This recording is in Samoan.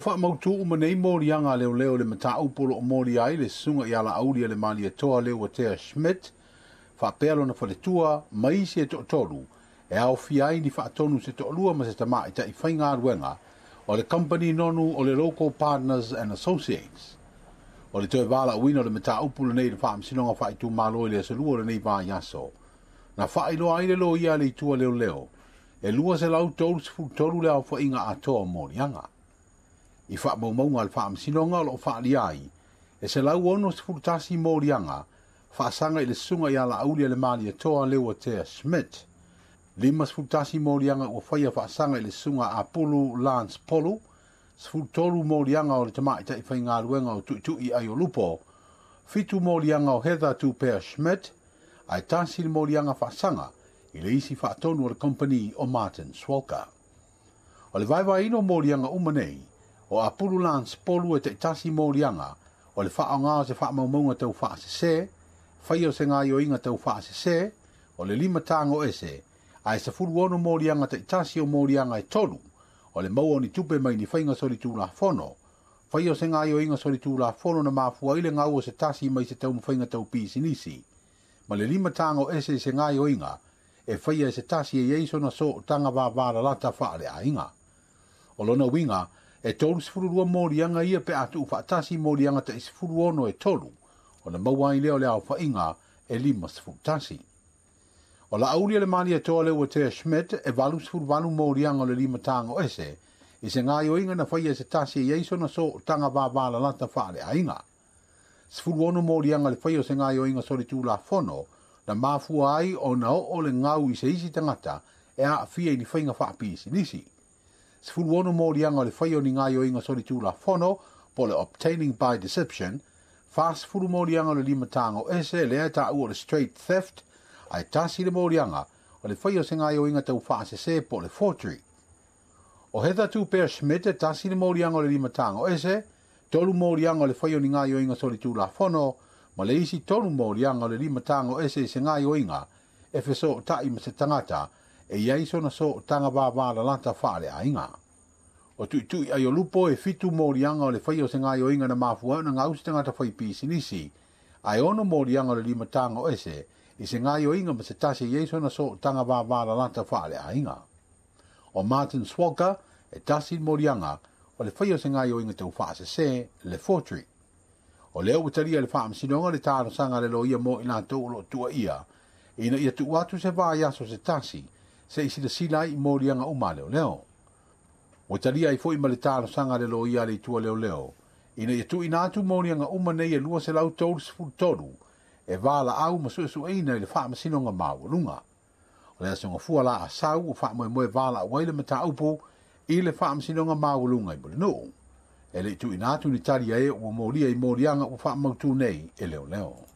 Faamautu uma nei moliaga a leoleo i le mataupu o lo o molia ai le susuga ia Laaulialemalietoa Leuatea Schmidt faapea lona faletua ma isi e toatolu e aofia ai ni faatonu se toalua ma se tamaitai faigaluega o le kamupani nonu o le Local Partners and Associates. O le toe valaauina o le mataupu lenei i le Faamasinoga Faaitumalo i le aso Lua o lenei vaiaso, na faailoa ai le loia a le itu a leoleo e 233 le aofaiga atoa o moliaga. I faamaumauga a le Faamasinoga o lo o faaalia ai e 161 moliaga faasaga i le susuga ia Laaulialemalietoa Leuatea Schmidt, 51 moliaga ua faia faasaga i le susuga Apulu Lance Polu, 13 moliaga o le tamaitai faigaluega o Tuitui Aiolupo, 7 moliaga o Heather Tupea Schmidt, ae tasi le moliaga faasaga i le isi faatonu o le kamupani o Martin Swalker. O le vaevaeina o moliaga uma nei, o Apulu Lance Polu e taitasi moliaga o le faaaoga o se faamaumauga tau faasese, faia o se gaoioiga tau faasese, o le lima tago ese, ae 16 moliaga taitasi o moliaga e tolu, o le maua o ni tupe mai ni faiga solitulafono, faia o se gaoioiga solitulafono na mafua ai le gau o se tasi mai se taumafaiga tau pisinisi, ma le lima tago ese i se gaoioiga e faia e se tasi e i ai sona sootaga vavalalata faaleaiga. O lona uiga, e 32 moliaga ia pe a tuufaatasi moliaga tai 16 e tolu, ona maua ai lea o le aofaiga e 51. O Laaulialemalietoa Leuatea Schmidt e 88 moliaga o le lima tago ese i se gaoioiga na faia e se tasi e i ai sona sootaga vavalalata faaleaiga. 16 moliaga le faia o se gaoioiga solitulafono na mafua ai ona oo le gau i se isi tagata e aafia i ni faiga faapisinisi. 16 moliaga o le faia o ni gaoioiga solitulafono po o le obtaining by deception, 40 moliaga o le lima tago ese lea e taua o le straight theft, ae tasi le moliaga o le faia o se gaoioiga tau faasese po o le forgery. O Heather Tupea Schmidt e tasi le moliaga o le lima tago ese, tolu moliaga o le faia o ni gaoioiga solitulafono, ma le isi tolu moliaga o le lima tago ese i se gaoioiga e fesootai ma se tagata e i ai sona sootaga vavalalata faaleaiga. O Tuitui Aiolupo e 7 moliaga o le faia o se gaoioiga na mafua ai ona gau se tagata fai pisinisi, ae 6 moliaga o le lima tago ese i se gaoioiga ma se tasi e i ai sona sootaga vavalalata faaleaiga. O Martin Swalker e tasi le moliaga o le faia o se gaoioiga tau faasese, le forgery. O lea ua talia e le Faamasinoga le talosaga a le loia mo i latou o lo o tuuaia ina ia tuu atu se vaiaso se tasi se i silasila ai i moliaga uma a leoleo. Ua talia ai foi ma le talosaga a le loia a le itu a leoleo ina ia tuuina atu moliaga uma nei e 233 e valaau ma suesueina i le Faamasinoga Maualuga. O le aso Gafua la a sau ua faamoemoe valaau ai le mataupu i le Faamasinoga Maualuga i Mulinuu. E le i tuuina atu ni tali a e ua molia i moliaga ua faamautu nei e leoleo.